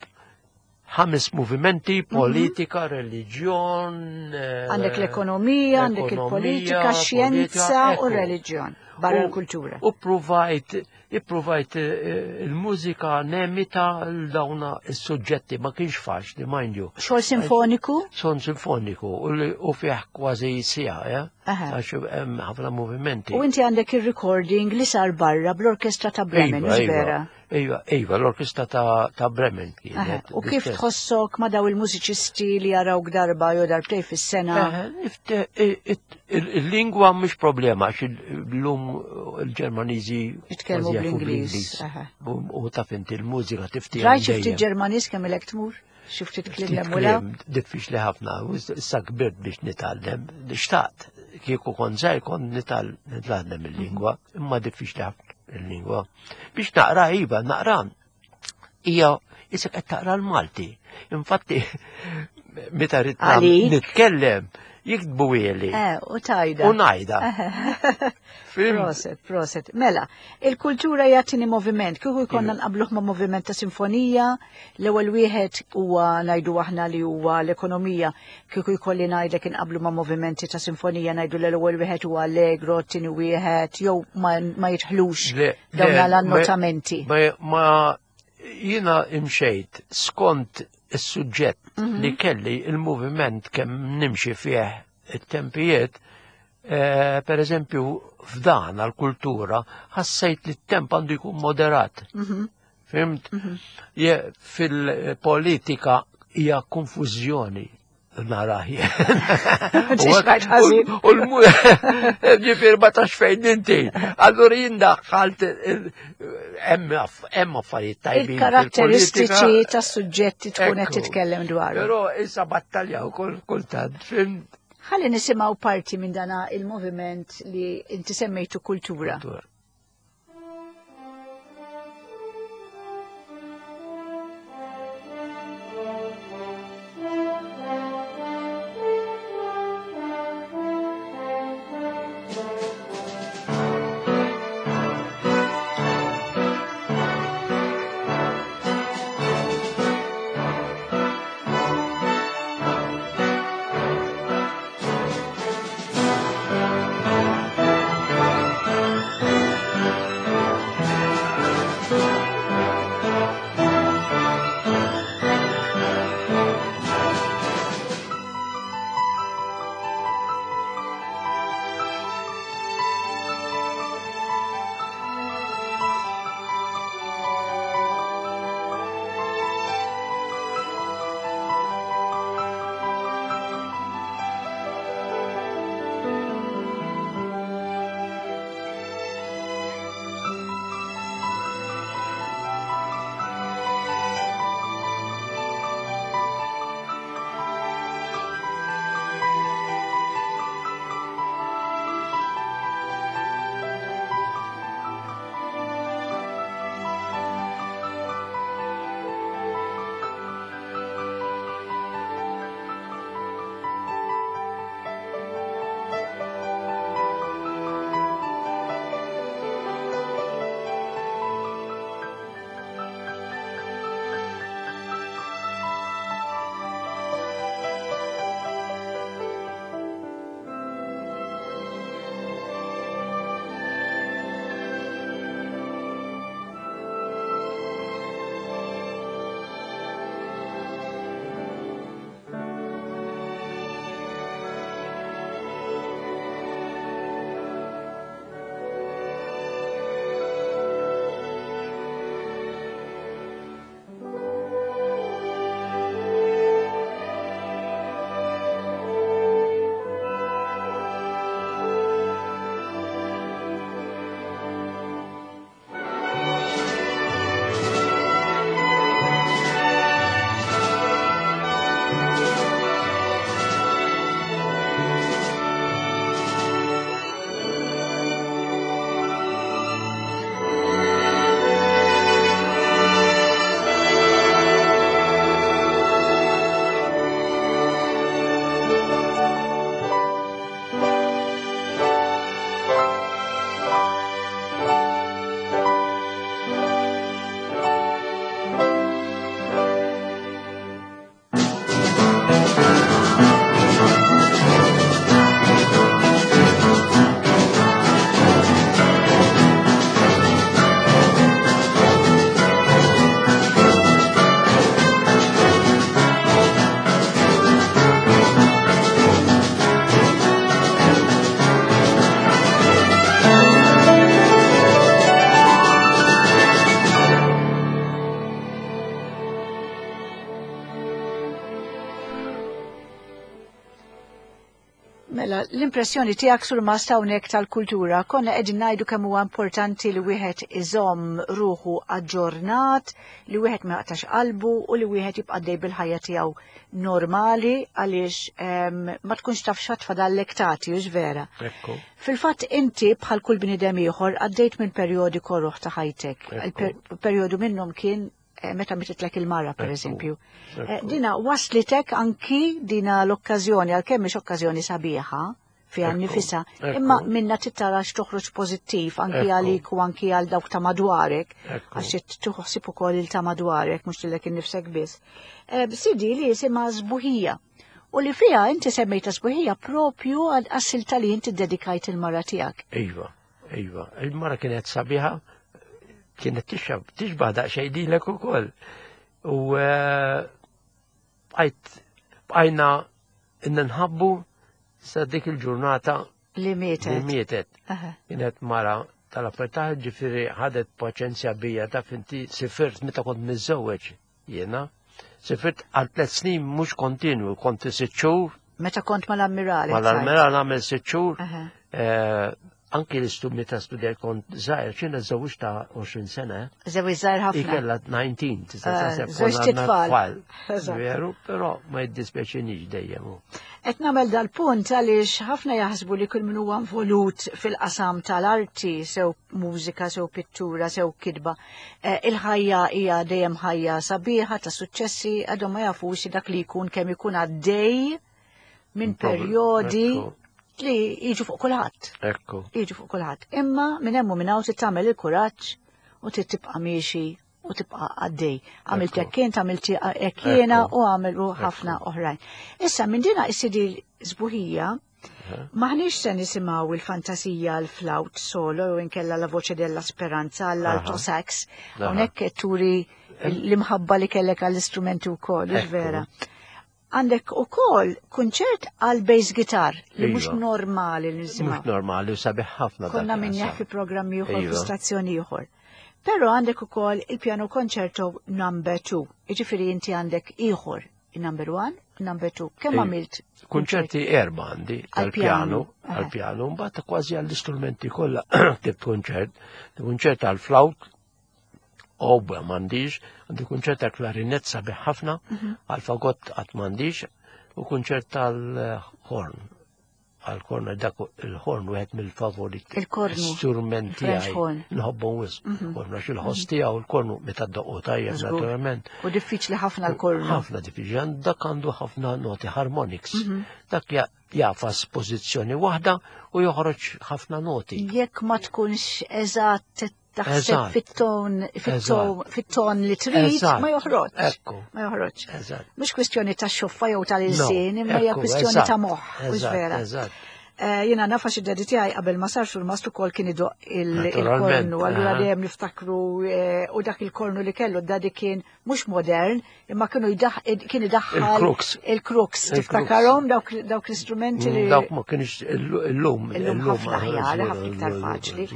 ħames movimenti, politika, reliġjon. eh, Għandek l-ekonomija, għandek ekonomija, il-politika, xjenza politika, u ekku. reliġjon barra U- l-kultura. U provajt, ipprovajt eh, il-mużika nemita l-dawna il-suġġetti, ma kienx faċli, mind you. Xogħol sinfoniku? Son sinfoniku u li- u fih kważi sija, ja? Aha. Għax hemm ħafna movimenti. U inti għandek il-recording li sar barra bl-orkestra ta' Bremen, Iva, mhux iva, vera? Iva, iva, l-orkestra ta', ta Bremen Aha. kienet. U kif l-istess. tħossok ma daw il-mużiċisti li jarawk darba jew darbtej fis-sena? Eh, nifte- Il-lingwa mhux problema, għax l-lum il-Ġermaniżi Jitkellmu kważi jafu bl-Ingliż, aha. U taf inti l-mużika tifti. Rajt xi ftit Ġermaniż kemm ilek tmur? Xi ftit kliem Ftit lemula? kliem diffiċli ħafna, u issa kbirt biex nitgħallem, xtaqt, kieku kont żgħir kont nitgħallem il-lingwa, imma diffiċli ħafna il-lingwa. Biex naqra iva, naqra hija isek qed taqra l-Malti. Infatti, meta rrid Għalik? nitkellem, jiktbu ili Eh, u tajda. u ngħidha. Fim? Proset, proset. Mela, il-kultura jagħtini moviment. Kieku jkollna Iva. nqabluh ma' moviment ta' sinfonija, l-ewwel wieħed huwa ngħidu aħna li huwa l-ekonomija. Kieku jkolli ngħidlek inqablu ma' movimenti ta' sinfonija ngħidu li l-ewwel wieħed huwa allegro, t-tieni wieħed, jew ma, ma jidħlux Le, dawn le, l-annotamenti. Ma, ma jina imxejt skont is-suġġett li kelli il-moviment kemm nimxi fih it-tempijiet, eh, per eżempju f'dan għal-kultura ħassejt li t-temp għandu jkun moderat. Fimt? Je, fil-politika hija konfużjoni naraħ Tixrajt ħażin. U l-ġifir ma tax fejn inti. Allura jien daħħalt hemm hemm affarijiet tajbin. Il-karatteristiċi fil-politika. tas-suġġetti tkun qed Ekku. titkellem dwaru. Però issa battalja u kultant, fimt? Ħalli nisimgħu parti minn dana il-moviment li inti semmejtu kultura. Thank L-impressjoni tiegħek sur mast hawnhekk tal-kultura, konna qegħdin ngħidu kemm huwa importanti li wieħed iżomm ruħu aġġornat, li wieħed ma jaqtax qalbu u li wieħed jibqa' dej bil-ħajja tiegħu normali għaliex ma tkunx taf x'għad fadallek tagħti, hux vera. Ekku. Fil-fatt inti bħal kull bniedem ieħor għaddejt minn perjodi korroħ ta' ħajtek. Il-perjodu minnhom kien eh, meta mititlek il-mara per eżempju. Eh, dina waslitek anki dina l-okkażjoni għalkemm mhix okkażjoni sabiħa fiha nifisha, imma minna tittara x'toħroġ pożittiv anki għalik u anki għal dawk ta' madwarek, għax tħossib ukoll il ta' madwarek mhux lilek innifsek biss. Eh, Sidi li jisimha żbuħija u li fiha inti semmejta sbuħija propju għal assilta li inti dedikajt il-mara tiegħek. Iva, iva, il-mara kienet sabiħa, kienet tixab, tixbaħ daqsxejn lilek ukoll. U eh, bqajt bqajna nħabbu sa dik il-ġurnata li mietet. Li mietet. Kienet mara tal-affarijiet ġifieri ħadet paċenzja bija taf inti sifirt meta kont miżżewweġ Jiena sifirt għal tlet snin mhux kontinwu, kont sitt xhur. Meta kont mal-ammirali. Mal-ammirali nagħmel sitt xhur. Eh, anki l-istudni meta studjajt kont żgħir, xina żewġ ta' 20 sena. Żewġ żgħir ħafna. Ikella 19, tista' eh, taħseb. Żewġ titfal. Veru, però ma jiddispjaċinix dejjem. Qed nagħmel dal-punt għaliex ħafna jaħsbu li kull min huwa involut fil-qasam tal-arti, sew mużika, sew pittura, sew kitba, Eh, il-ħajja hija dejjem ħajja sabiħa ta' suċċessi għadhom ma jafux dak li jkun kemm ikun għaddej minn perjodi li jiġu fuq kulħadd. Ekku. Jiġu fuq kulħadd. Imma minn hemm u minn hawn tagħmel il-kuraġġ u trid tibqa' miexi u tibqa' għaddej. Għamilt hekk int, għamilt hekk jiena u għamilu ħafna oħrajn. Issa minn dina is-sidi sbuħija Maħniex se nisimgħu il-fantasija l-flawt solo jew inkella la voce della speranza għall-alto sax. Hawnhekk qed turi l-imħabba li kellek għall-istrumenti wkoll, vera. Għandek ukoll kunċert għal bass guitar li mhux iva. normali li nisimgħu. Mhux normali u sabiħ ħafna. Konna minn fi programmi ieħor fi iva. stazzjoni ieħor. Però għandek ukoll il-piano concerto number 2, jiġifieri inti għandek ieħor Number one, number two. Kemm għamilt? Kunċerti erba għandi għal-pjanu, għal-pjanu, mbagħad kważi għall-istrumenti kollha ktibt kunċert, kunċert għal-flawt, oboe m'għandix, għandi kunċert għal-klarinett sabiħ ħafna, mhm. għal-fagott qatt m'għandix, u kunċert tal-horn għal-korna dak il-ħorn wieħed mill-favoriti. Il-kornu. Strumenti tiegħi. Nħobbu wisq. Mhm. Kornu għax il-ħoss mhm. tiegħu il-kornu meta ddoqqu tajjeb naturalment. U diffiċli ħafna l-kornu. Ħafna diffiċli, dak għandu ħafna noti harmonics. Mhm. Dak jafas pożizzjoni waħda u joħroġ ħafna noti. Jekk ma tkunx eżatt taħseb fit-ton fit-ton li trid ma joħroġ. Ekku. Ma joħroġ. Mhux kwistjoni ta' xoffa jew tal-ilsien, imma hija kwistjoni ta' moħħ, mhux vera. Eh, jiena nafa xi dedi tiegħi qabel ma sarx il-mast ukoll kien idoq il-kornu, allura dejjem niftakru eh, u dak il-kornu li kellu dadi kien mhux modern, imma kienu kien idaħħal il-crooks. Il-crooks, tiftakarhom dawk l-istrumenti li. Mm, dawk ma kienx illum. Illum ħafna aħjar, ħafna iktar faċli.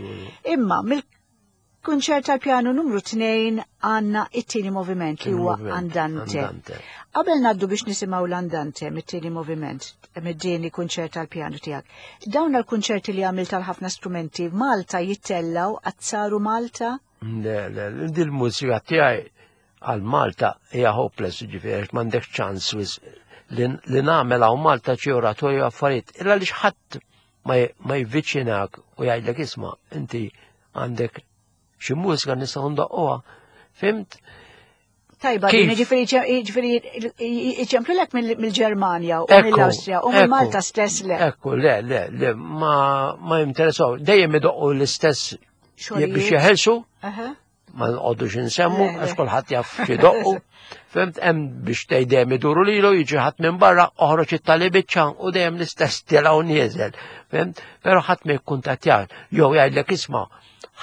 Imma mill-kunċert tal-pjanu numru 2 għandna it-tieni moviment li huwa Andante. Qabel ngħaddu biex nisimgħu l-Andante mit-tieni moviment, mid-tieni kunċert tal-pjanu tiegħek. Dawn l-kunċerti li għamilt tal ħafna strumenti Malta jittellaw għazzaru Malta? Le, le, dil-mużika tiegħi għal Malta hija hopeless, ġifieri għax m'għandek ċans li nagħmel hawn Malta xi oratorju affarijiet. Illa li ħadd ma jviċinak u jgħidlek isma' inti għandek xi mużika nistgħu ndoqquha. Fimt? Tajba, ġifieri ġifieri iċemplulek mill-Ġermanja u mill-Awstrija u mill-Malta stess le. Ekku, le, le, le, ma jinteressaw. Dejjem idoqqu l-istess biex jeħelsu. Ma nqogħdux insemmu għax kulħadd jaf xi doqqu. Fimt hemm biex tgħid dejjem iduru lilu jiġi ħadd minn barra oħroġ it-tali biċċa u dejjem l-istess tilgħu nieżel. Fimt? Però ħadd ma jikkuntattjak jew jgħidlek isma'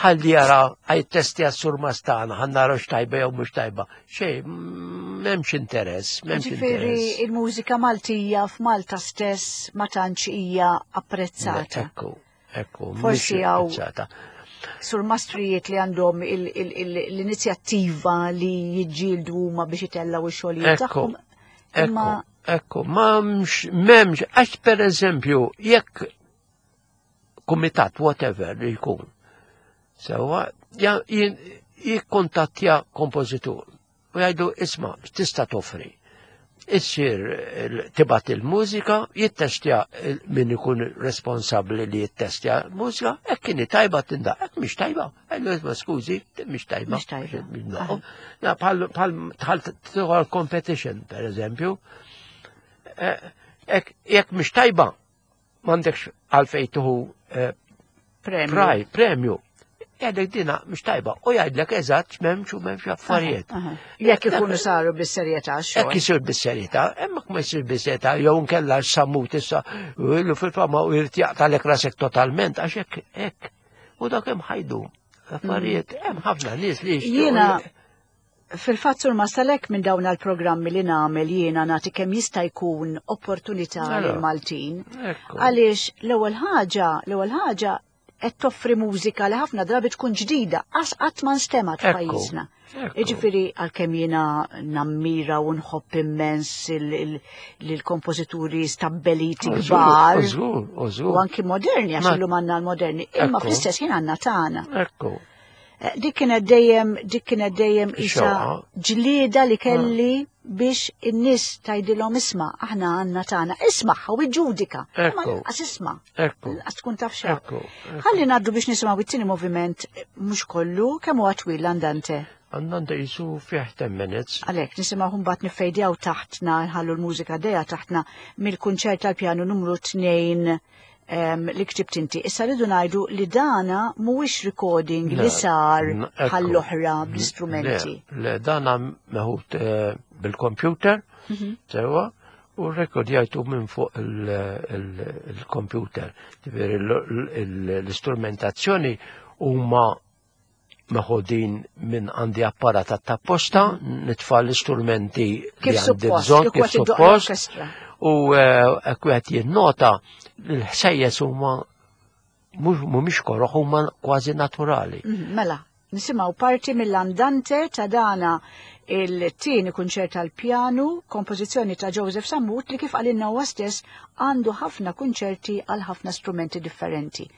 ħalli jara għaj testi għas-sur mastana, ħan nara x'tajba jew mhux tajba. Xej, m'hemmx interess, m'hemmx interess. il-mużika Maltija f'Malta stess ma tantx hija apprezzata. Ekku. Ekku, Forsi għaw sur mastrijiet li għandhom l-inizjattiva li jiġġieldu huma biex itellaw ix-xogħlijiet tagħhom. Imma Ekku, m'hemmx, m'hemmx, għax per eżempju, jekk kumitat, whatever li jkun, sewa, jikkontattja kompożitur u jgħidu isma' x'tista' toffri. Issir tibgħat il-mużika, jittestja min ikun responsabbli li jittestja l-mużika, hekk kien tajba tindaq, hekk mhix tajba. Għajdu isma' skużi, mhix tajba. Mhix tajba. Bħal bħal competition, per eżempju. Eh, jekk mhix tajba, m'għandekx għalfejn tuħu eh, premju. Premju. Jgħidlek dina mhux tajba u jgħidlek eżatt m'hemmx u m'hemmx affarijiet. Jekk ikunu saru bis-serjetà xogħol. Jekk isir bis-serjetà, hemmhekk ma jsir bis-serjetà jew nkella sammut issa ilu fil-fama u jrid jaqtalek rasek totalment għax hekk hekk. U dak hemm ħajdu affarijiet, hemm ħafna nies li Jiena Fil-fatt Sur Masalek minn dawn l-programmi li nagħmel jiena nagħti kemm jista' jkun opportunità mela. lil Maltin. Għaliex l-ewwel ħaġa, l-ewwel ħaġa qed toffri mużika li ħafna drabi tkun ġdida, qas qatt ma nstemat f'pajjiżna. Jiġifieri għalkemm jiena nammira u nħobb immens lill-kompożituri stabbeliti kbar. U anki moderni, għax illum għandna l-moderni, imma fl-istess ħin għandna tagħna. Ekku. Eh, dik kienet dejjem, dik kienet dejjem isa ġlieda li kelli ah. biex in-nies tgħidilhom isma' aħna għandna tagħna, isma' u iġġudika. Ma lanqas isma'. Lanqas tkun taf xejn. Ħalli ngħaddu biex nisimgħu it-tieni moviment mhux kollu kemm huwa twil l-andante. Andante jisu fih 10 minutes. Għalhekk nisimgħu mbagħad niffejdjaw taħtna nħallu l-mużika dejja taħtna mill-kunċert tal-pjanu numru 2 li ktibt inti. Issa rridu ngħidu li dana mhuwiex recording li sar bħall-oħra bl-istrumenti. Le, dana meħud eh, bil-computer, mhm. sewa, u rekordjajtu minn fuq il-computer. Ġifieri l-istrumentazzjoni huma meħodin minn għandi apparat apposta, nitfa' l-istrumenti li għandi bżonn kif suppost. U eh, wieħed jinnota l-ħsejjes huma mhumiex koroħ huma kważi naturali. Mhm, mela, nisimgħu parti mill-andante ta' dana il-tieni kunċert tal-pjanu, kompożizzjoni ta' Joseph Sammut li kif għalinna huwa stess għandu ħafna kunċerti għal ħafna strumenti differenti.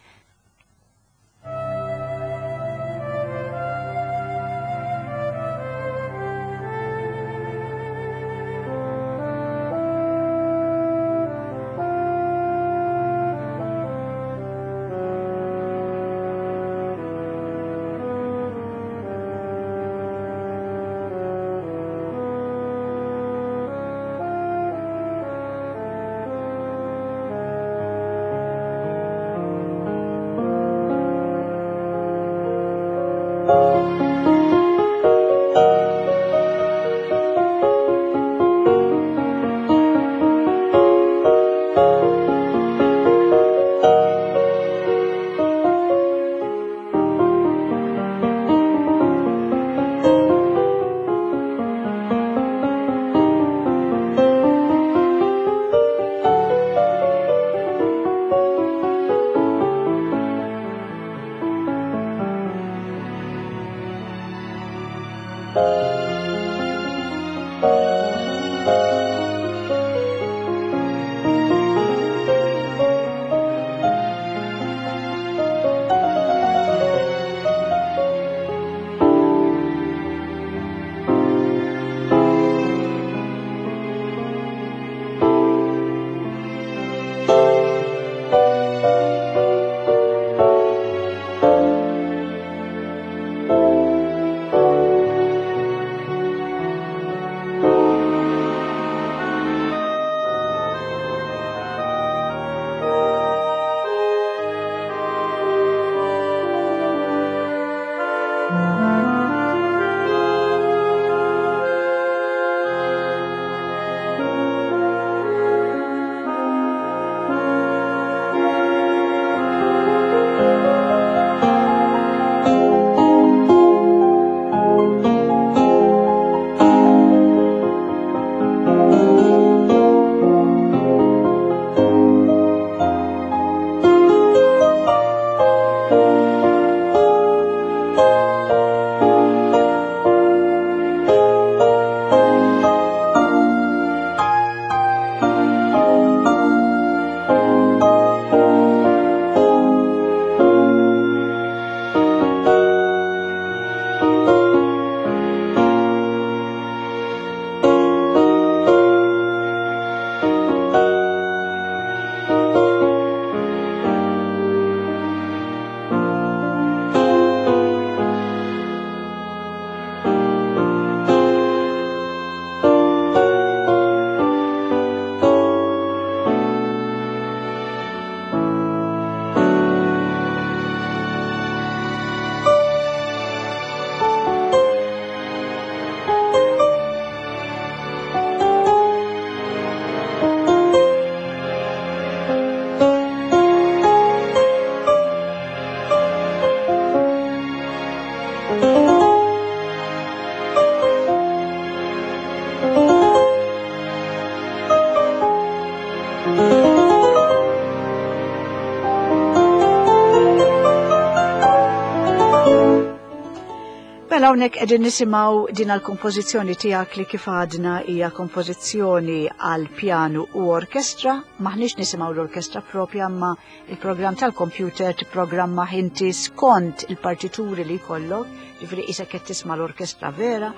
Mela hawnhekk qegħdin nisimgħu din għall-kompożizzjoni tiegħek li kif għadna hija kompożizzjoni għal pjanu u orkestra, maħniex nisimgħu l-orkestra propja imma il-programm tal-kompjuter tipprogramma inti skont il-partituri li jkollok, ġifieri qisek qed tisma' l-orkestra vera,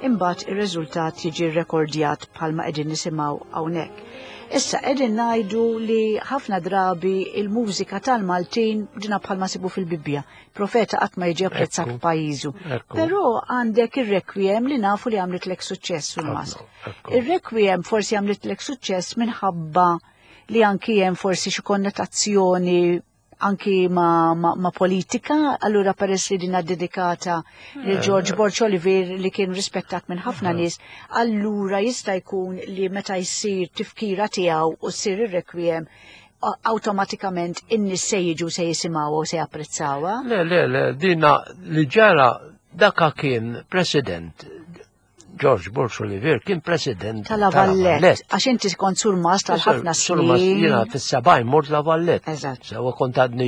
imbagħad ir-riżultat jiġi rrekordjat bħalma qegħdin nisimgħu hawnhekk. Issa qegħdin ngħidu li ħafna drabi il-mużika tal-Maltin dina bħalma sibu fil-Bibbja. Profeta qatt ma jiġi apprezzat f'pajjiżu. Però għandek ir-requiem li nafu li għamlitlek suċċess sul mas. Ir-requiem forsi għamlitlek suċċess minħabba li anki hemm forsi xi konnotazzjoni anki ma, ma, ma politika, allura peress li dina dedikata li eh. George Borg Olivier li kien rispettat minn ħafna eh. nies, allura jista' jkun li meta jsir tifkira tiegħu u ssir ir-requiem awtomatikament in-nies se jiġu se jisimgħu u se japprezzawha. Le, le, le, dina li ġara daka kien president George Bush Olivier kien president tal-Avallet. Għax inti kont surmas tal-ħafna snin. Jiena fis-sebgħin mort l-Avallet. Eżatt. Sewa kont għadni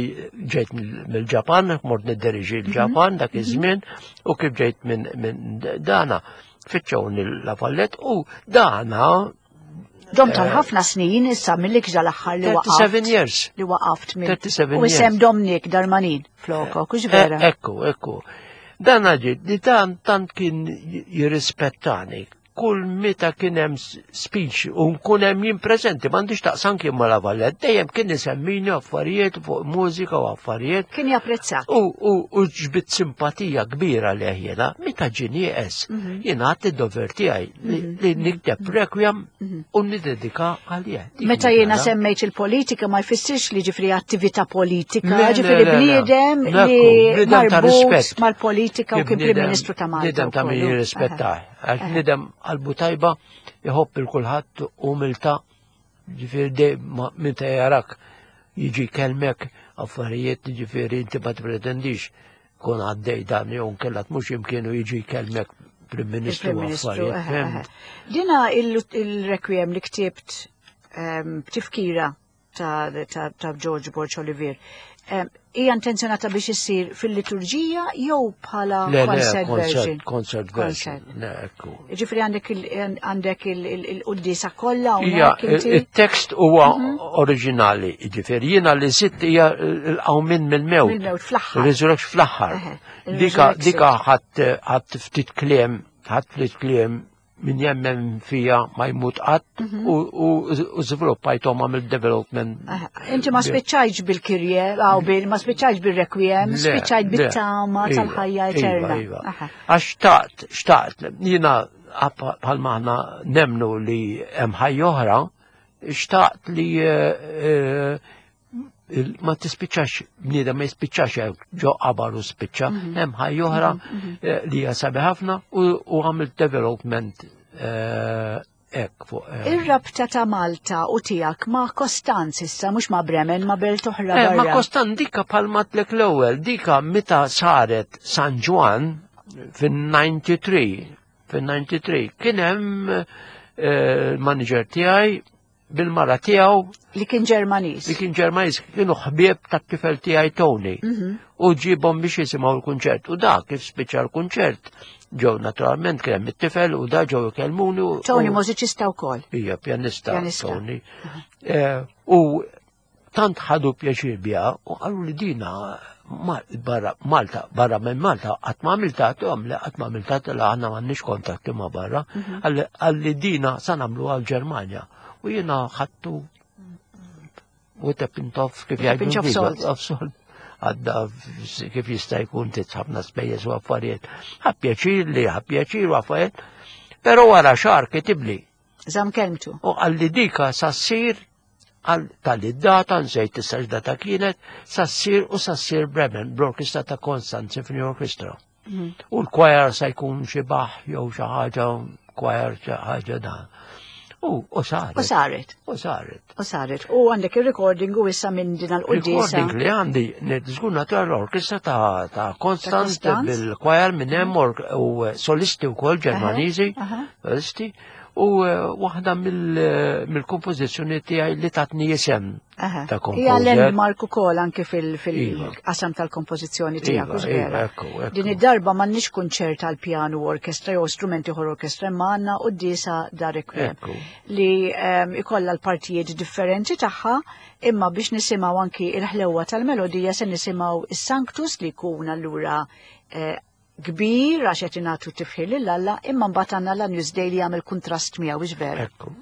ġejt mill-Ġapan, mort nidderiġi l-Ġapan dak mhm. iż-żmien u kif ġejt minn dana fittxewni l-Avallet u dana Dom tal-ħafna snin issa mill-ikġa l-aħħar li waqaft. 37 years. Li waqaft minn. 37 U isem Dominic Darmanin floko, kux vera. Eh, ekku, ekku. Dan ġi, li tant tant kien jirrispettani. Kull meta kien hemm speech u nkun hemm jien preżenti m'għandix taqsam kien ma Lavallet, dejjem kien isemmini affarijiet fuq mużika u affarijiet. Kien japprezzak. U u u ġbit simpatija kbira leh jiena, meta ġie nieqes, mhm. jiena għadt id-dover tiegħi li mhm. nikteb requiem mhm. u nidedika għalih. Meta jiena semmejt il-politika ma jfissirx li ġifri attività politika, ġifri bniedem li marbut mal-politika u kien Prim Ministru ta' Malta. Bniedem ta' min jirrispetta, għax bniedem qalbu tajba jħobb il kulħadd umilta, ġifiri minn ta' jarak jiġi kelmek affarijiet ġifiri inti ma tipretendix kun għaddej dan jew nkella mhux imkienu jiġi jkellmek Prim Ministru affarijiet. Dina il-requiem li ktibt b'tifkira ta' George Borg Olivier. Hija intenzjonata biex issir fil-liturġija jew bħala concert version? Concert version. Ġifri għandek il-quddisa kollha Ija, il-tekst huwa mhm. oriġinali, ġifieri jiena li sitt hija l-qawmin mill-mewt. Mill-mewt fl-aħħar. Resurrection fl-aħħar. Dika dika ħadd ftit kliem, ħadd ftit kliem min jemmen fija ma jmut qatt mhm. u żviluppajthom għamil development. Inti ma spiċċajtx bil-kirje, għaw bil, ma spiċċajtx bil-requiem, spiċċajt bit-tama iva, tal-ħajja iva, eterna. Iva. Għax xtaqt, xtaqt, jina bħal maħna nemnu li hemm ħajja oħra, xtaqt li eh, eh, ma tispiċċax bniedem ma jispiċċax hekk ġo qabar u spiċċa, mhm. hemm ħajja oħra mhm, mhm. eh, li hija sabi ħafna u għamilt development hekk fuq. Ir-rabta ta' Malta u tiegħek ma' Kostanz issa mhux ma' Bremen ma' belt oħra. Ma' Kostanz dika bħal matlek l-ewwel, dika meta saret San Ġwan fin-93 fin-93 kien hemm il-manager tiegħi bil-mara tiegħu li kien Ġermaniż. Li kien Ġermaniż kienu ħbieb tat-tifel tiegħi Tony. Mhm. U ġibhom biex jisimgħu l-kunċert. U da kif spiċċa l-kunċert ġew naturalment kien hemm it-tifel u da ġew ikellmuni. Tony mużiċista wkoll. Ija, pjanista Tony. Eh, u tant ħadu pjaċir biha u qalu li dina barra Malta, barra minn Malta, qatt ma għamilta għam li qatt ma għamilta la aħna m'għandniex kontatti ma' barra, mhm. għalli dina sa nagħmlu għal Ġermanja. U jiena ħadtu u ta' pintof kif jgħidu. Għadda kif jista' jkun titħabna spejjeż u affarijiet. Ħa pjaċir li ħa pjaċir u affarijiet. Però wara xahar kitibli. Żamm kelmtu. U għalli dika sa ssir għal tal-data, nsejt issa x'data kienet, sa ssir u sa ssir Bremen, bl-orkestra ta' Constant Symphony Orchestra. Mhm. U l-choir sa jkun xi baħ jew xi ħaġa, choir xi ħaġa dan. U, u saret. U saret. U saret. U saret. U għandek il-recording u issa minn din għal-quddisa. Recording li għandi, żgur natura l-orkestra ta', ta Constant bil-choir minn hemm u solisti wkoll Ġermaniżi, solisti. U eh, waħda eh, mill-kompożizzjoni tiegħi li tatni isem ta' kompożer. Hija landmark ukoll anke fil-qasam iva. tal-kompożizzjoni tiegħek, iva, iva, vera. Din id-darba m'għandniex kunċert għal pjanu orkestra jew strumenti oħra orkestra imma għandna quddiesa da requiem li ehm, ikollha l-partijiet differenti tagħha imma biex nisimgħu anki il-ħlewwa tal-melodija se nisimgħu is-Sanctus li jkun allura eh, kbir għax qed ingħatu tifħir lil Alla, imma mbagħad għandna l-Agnus Dei li jagħmel kuntrast miegħu hux vera. Ekku.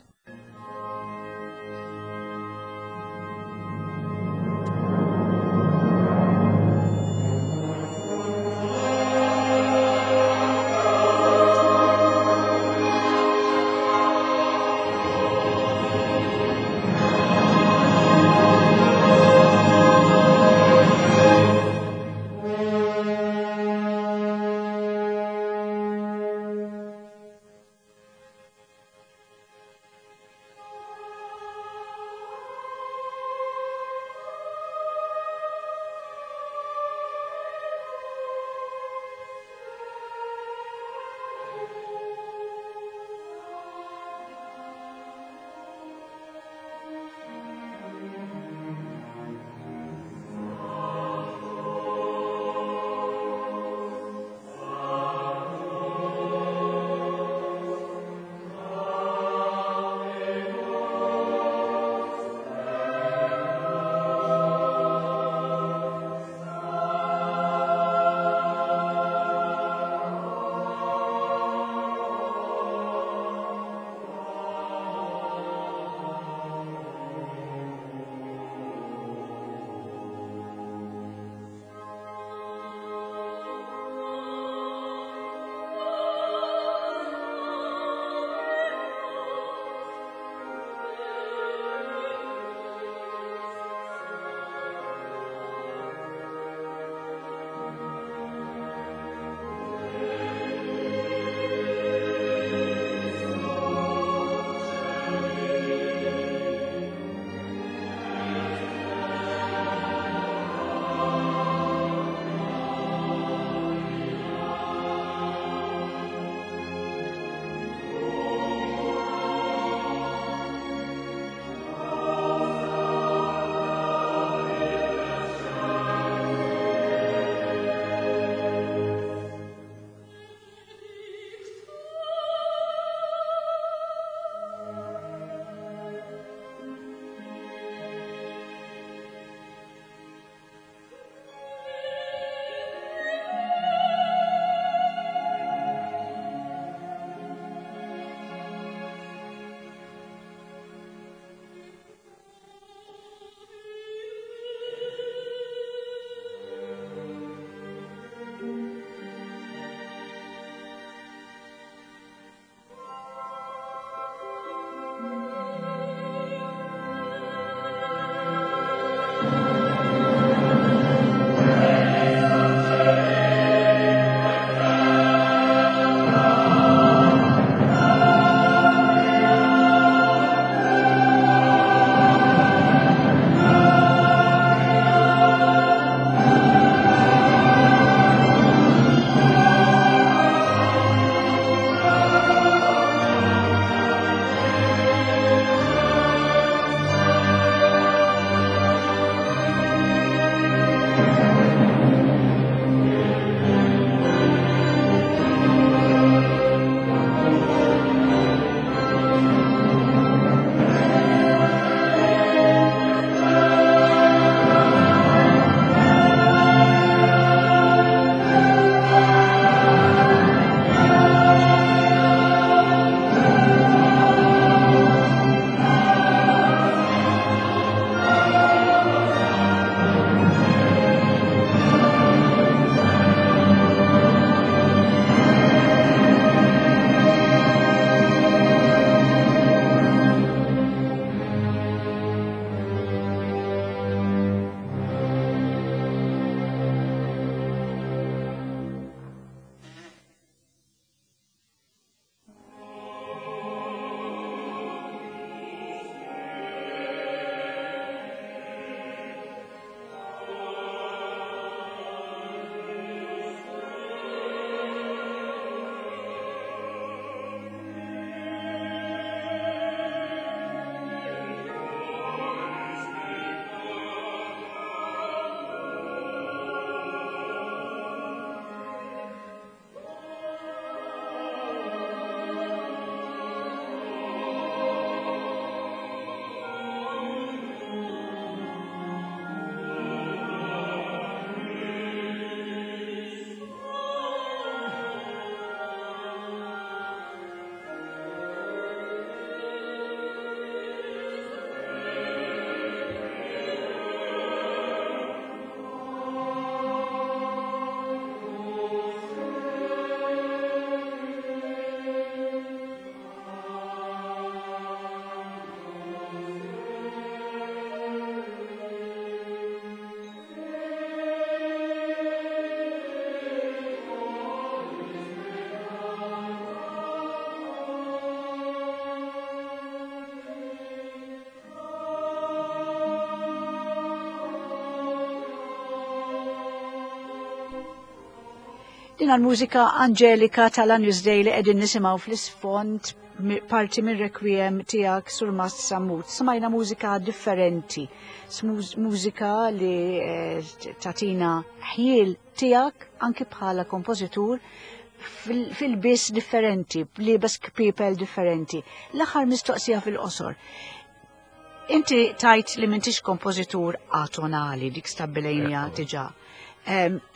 Din għal-mużika anġelika tal-Agnus Dei li qegħdin nisimgħu fl-isfond parti minn requiem tiegħek Sur Mast Sammut. Smajna mużika differenti, mużika li eh, tatina ħjiel tiegħek anki bħala kompożitur fil-biss differenti, li bes kpipel differenti. L-aħħar mistoqsija fil-qosor. Inti tajt li m'intix kompożitur atonali dik stabbilejnija diġà.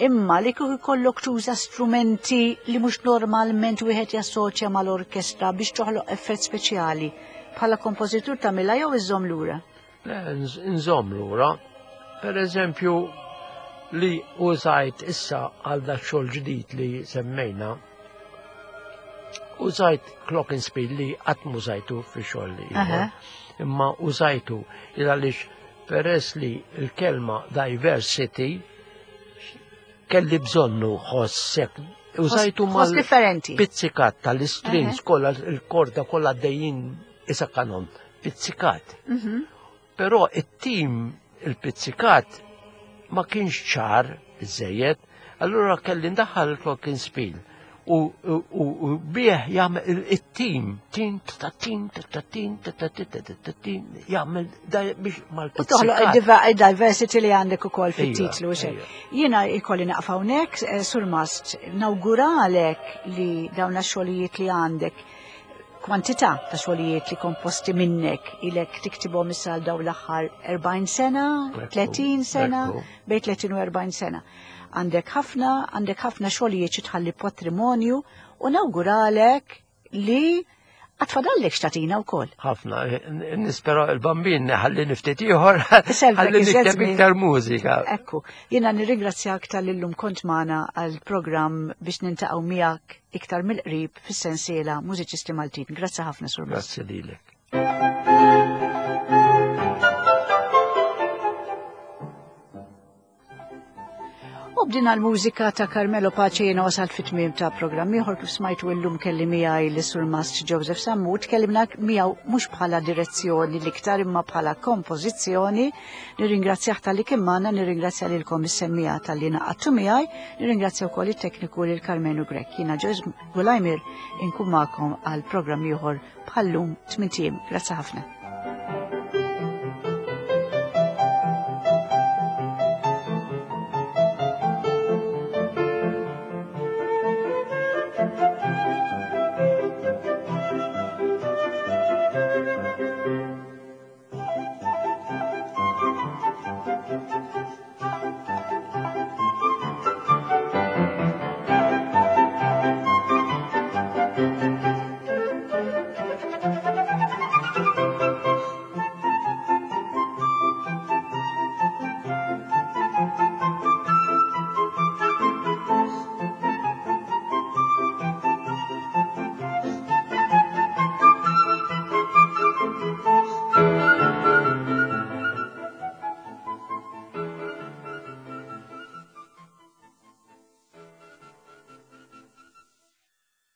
Imma li kieku jkollok tuża strumenti li mhux normalment wieħed jassoċja mal-orkestra biex toħloq effett speċjali, bħala kompożitur tagħmilha jew iżżomm lura? Le, nżomm lura. Per eżempju, li użajt issa għal dak xogħol ġdid li semmejna, użajt glockenspiel li qatt mużajtu fi xogħol li Imma użajtu il għaliex peress li l-kelma diversity kelli bżonnu ħossek użajtu mal differenti. Pizzikat tal-strings kollha il-korda kollha dejjin isa kanon pizzikat. Mhm. Però it-tim il-pizzikat ma kienx ċar iżejjed, allura kelli ndaħħal il-glockenspiel u bih jagħmel it-tim, tin ta' tin ta' tin ta' tin ta' tin jagħmel biex mal-pizzikat. Toħloq il-diversity li għandek ukoll fit-titlu. Jiena jkolli naqfa hawnhekk, eh, Sur Mast, nawguralek li dawn xogħlijiet li għandek kwantità ta' xogħlijiet li komposti minnek ilek tiktibhom issa għal dawn l-aħħar 40 sena, 30 sena, bejn 30 u 40 sena. Għandek ħafna, għandek ħafna xogħlijiet xi tħalli patrimonju u nawguralek li għatfadallek xtatina u koll. ħafna, nispera il-bambin ħalli niftit ieħor, ħalli nikteb iktar mużika. Ekku, jiena nirringrazzjak tal-illum kont magħna għal-programm biex nintaqgħu miegħek iktar mill-qrib fis-sensiela Mużiċisti Maltin. Grazzi ħafna, Sur Grazzi lilek. U bdina l-mużika ta' Carmelo Pace jiena wasalt fit-tmiem ta' programm ieħor kif smajtu illum kelli miegħi l Sur Mast Joseph Sammut, tkellimna miegħu mhux bħala direzzjoni l-iktar imma bħala kompożizzjoni. Nirringrazzjah talli kien magħna, nirringrazzja lilkom is-semmiegħa talli naqadtu miegħi, nirringrazzja wkoll it-tekniku lil Karmenu Grech. Jiena Joyce Gulajmir inkun magħkom għal programm ieħor bħallum tmintiem. Grazzi ħafna.